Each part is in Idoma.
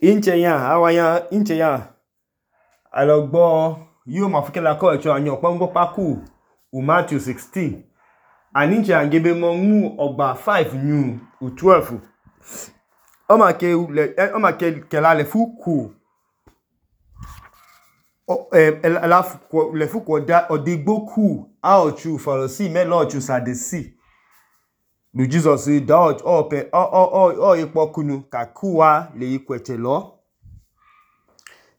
inche ya alogbo yo mafukela ko echo anyo kpongbo paku Matthew 16 and inche angebe mongu ogba 5 new 12 oma ke kela le fuku le fuku odigbo ku aochu Pharisee melo ochu Sadducee lu Jesus da o ipokunu kakuwa le ikweche lo.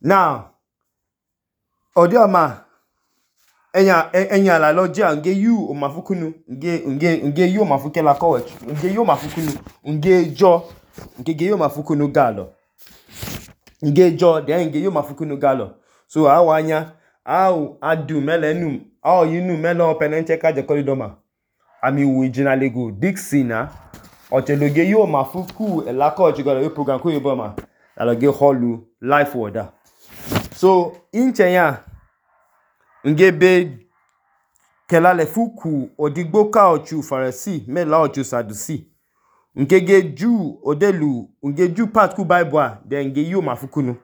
Now odioma enya la loja nge yu omafukunu nge yu omafukela kowechu nge yu omafukunu nge yu omafukunu galo nge yu omafukunu galo so awanya adu melenum yinu melo penenche kaje kolidoma ami wijina lego Dixina ocheloge yu omafuku elako ochigalo yu program ko yoboma aloge holu life order. So inche ya ngebe kela le fuku odigbo ka ochu Pharisee mela ochu Sadducee ngege ju odelu nge ju part ku Bible de nge yu mafukunu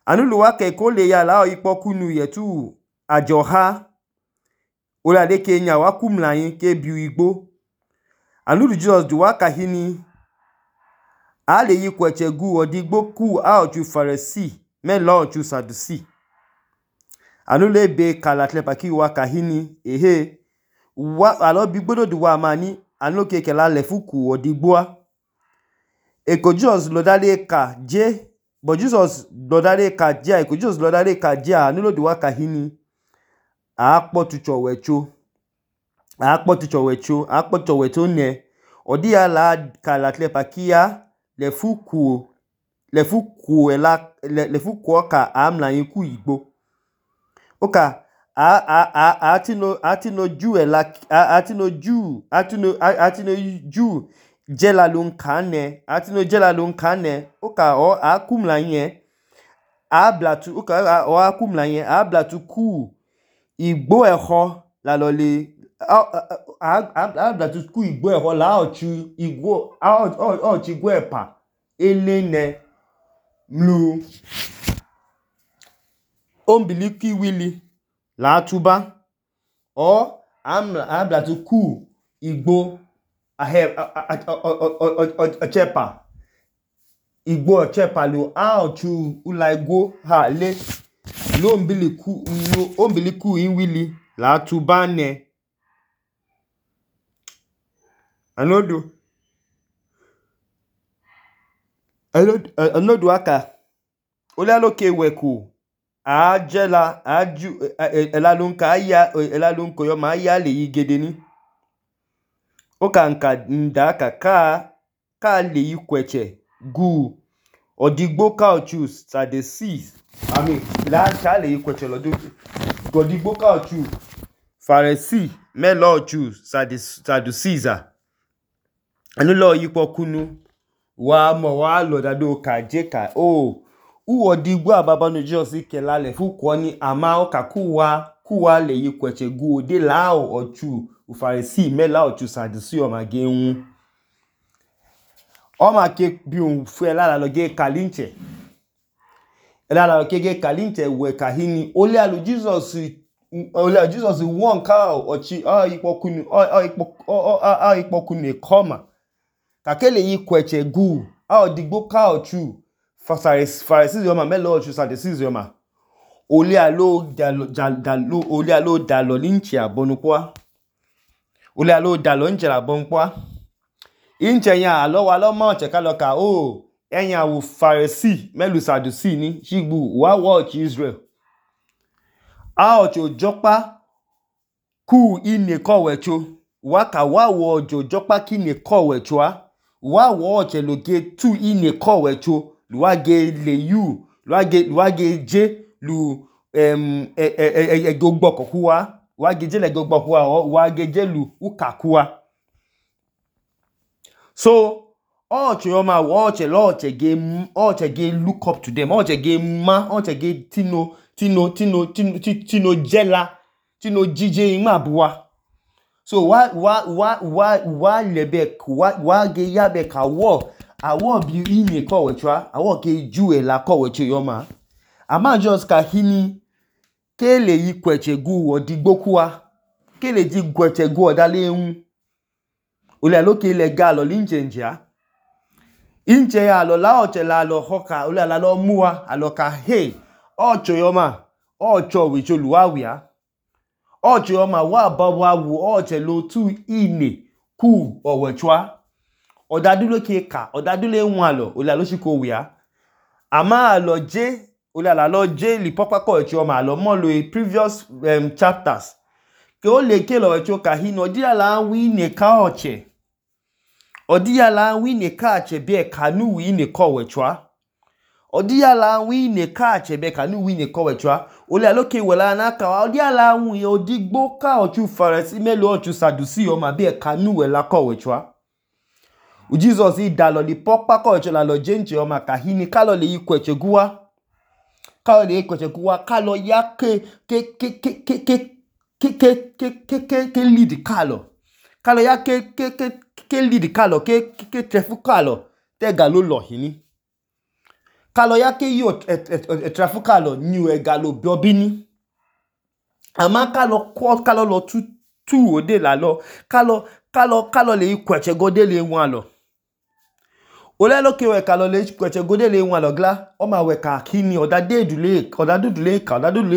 anulu wake ko le ya la ipokunu yetu ajoha olade Kenya wakumlayin ke biu igbo anulu Jesus du waka hini ale yi kweche gu odigbo ku ochu Pharisee mela ochu Sadducee anulu ebe kalatle paki waka hini alo bigbodo du wa mani anu ke kela le fuku odigbo eko Jesus lodale ka je but Jesus lodale ka je eko Jesus lodale ka je anulu du waka hini akpo tuchowecho ne odia la kalatle pakia le fuku ka amla yiku igbo oka atino ju jela lunkane oka o akumla yen ablatu oka o akumla yen ablatu ku igbo eho la lole ablatu ku igbo eho la ochu igbo ochu igbo epa elene mlu ombiliki wili la tuba o ablatu ku igbo ochepa igbo ochepa lo ochu ulaigwo ha le lo ombiliku inwili la tuba ne anodu aka olaloke weku ajela aju elalunko yo ma ya le yigede ni oka nka ndaka ka le yikweche gu odigbo ka ochu Sadducee la ka le yikweche lo odigbo ka ochu Pharisee melo ochu Sadducee anulo yipokunu wa lodado ka je ka odigbo ababanu Jesus kela le fuku ni ama oka kuwa le yikweche gu ode la ochu Pharisee mela ochu Sadducee o ma geun o ma ke bi un fu la loge kalinche la loge ge kalinche we kahini ole alu Jesus won ka ochi ipokunu ekoma kakele yikweche gu odigbo ka ochu Pharisee yo ma melo ochu Sadducee yo ma ole alo dalo linche abonukwa ole alo dalo nche abonukwa inche ya alo wa lo mo che ka lo ka enya wu Pharisee melu Sadducee ni shigbu wa watch Israel ocho jopa ku ine kowecho waka wa ojo jopa ki ne kowecho wa watch eloge tu ine kowecho luwage le yu luwage je lu gbogbo kuwa wage je le gbogbo kuwa wage je lu ukakuwa so oche yoma oche ge look up to them oche ge tino jela tino jije ima buwa so wa lebe wa ge yabe ka wo awo bi ine kọwẹchwa awo ke ju ela kọwẹcho yọma ama just ka hini ke le yi kweche gu odigbo kuwa ke le ji kweche gu odale ehun ole aloke le ga lo linjenjia inche ya lo la oche la lo hoka ole la lo muwa aloka hey ocho yọma ocho wicho luwawia ocho yọma wa baba wu oche lo tu ine ku owechwa odadulo ke ka odadulo enwalo ole alo shiko wia ama alo je ole la lo je li popa ko echo ma lo mo lo previous chapters ke o le ke lo echo ka hino di ala wi ne ka oche odi ala wi ne ka che be kanu wi ne ko wechwa odi ala wi ne ka che be kanu wi ne ko wechwa ole alo ke wela na ka odi ala wi odigbo ka ochu farisi melo ochu sadusi o ma be kanu wela ko wechwa Jesus i dalo li popa ko echo la lo jenche o ma ka hini ka lo le yi kweche guwa ka le kweche kuwa ka lo ya ke lead kalo ka lo ya ke lead kalo ke trefu kalo te galo lo hini ka lo ya ke yo trefu kalo ni e galo biobini ama ka lo lo tu ode la lo ka lo le kweche gode le wan lo ole lo ke we ka lo le kweche gode le wan lo gla o ma we ka kini odadudule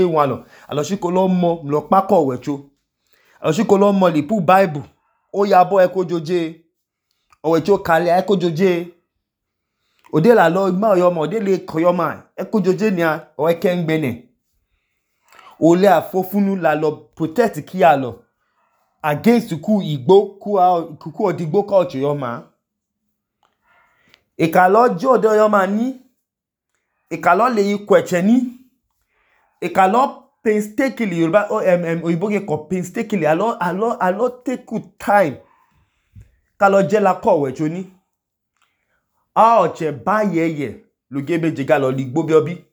wan lo alo shiko lo mo lo pako wecho alo shiko lo mo li pu bible o ya bo e ko joje owecho kale e ko joje ode la lo ma yo mo ode le ko yo ma e ko joje ni a o e ke ngbene ole afofunu la lo protect ki a lo against ku igbo ku odigbo ka ocho yo ma ikalo jodo yo ma ni ikalo le yi kweche ni ikalo painstakingly Yoruba oyibo ke ko painstakingly alo take good time kalo je la ko wecho ni a oche ba yeye lo gebe jega lo ligbo biobi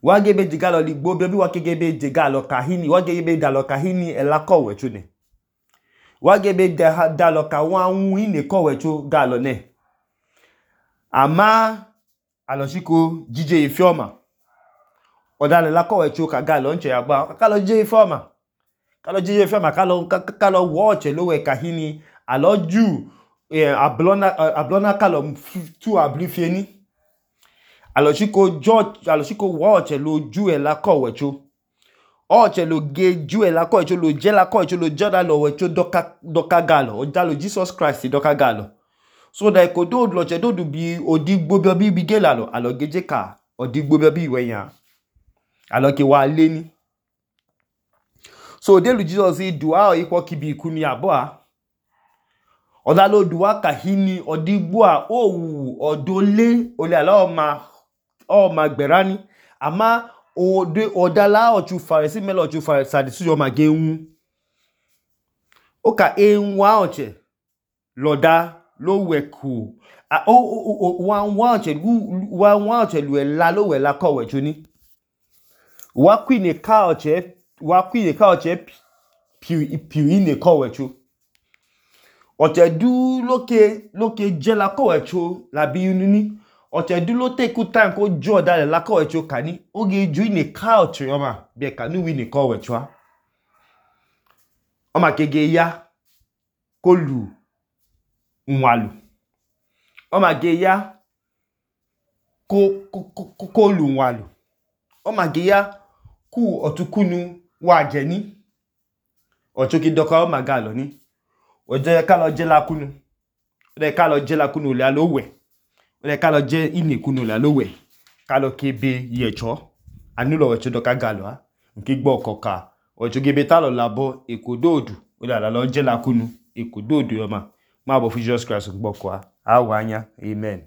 wa gebe jega lo ligbo biobi wa gebe jega lo kahini wa gebe da lo kahini e la ko wecho ne wa gebe da lo ka wa wu ine ko wecho ga lo ne ama aloshiko jije ifioma odale la ko wecho ka ga lo nche agba ka lo je ifioma ka lo jije ifioma ka lo watch lo we kahini aloju ablona ka lo tu ablifie ni aloshiko watch lo ju e la ko wecho oche lo ge ju e la ko wecho lo je la ko wecho lo joda lo wecho doka galo o dalo Jesus Christ doka galo so da ko do lo che do bi odigbo bi gela lo alo geje ka odigbo bi weyan alo ke wa le ni so de lu Jesus i dua o iko kibi iku ni abo a oda lo dua ka hini odigbo a owu odole ole ala o ma gberani ama odala ochu farisi melo ochu farisi sadisi yo ma geun o ka enwa oche loda lo weku wa oche lu ela lo we la ko wecho ni wa kwine ka oche piu ine ko wecho oche du loke je la ko wecho la bi ni oche du lo take time ko jo da la ko wecho kani oge ju ine ka oche yo ma be ka nu wi ni ko wecho o ma kege ya ko lu nwalu o ma ge ya ko lu nwalu o ma ge ya ku otukunu wa je ni ochoki doka o ma ga lo ni oje ka lo je la kunu o ka lo je la kunu le alo we o ka lo je ine kunu le alo we ka lo kebe yecho anu lo wecho doka ga lo a nki gbo okoka ocho gebe ta lo labo ekododu o la lo je la kunu ekododu yo ma bo Jesus Christ gbo kwa awanya amen.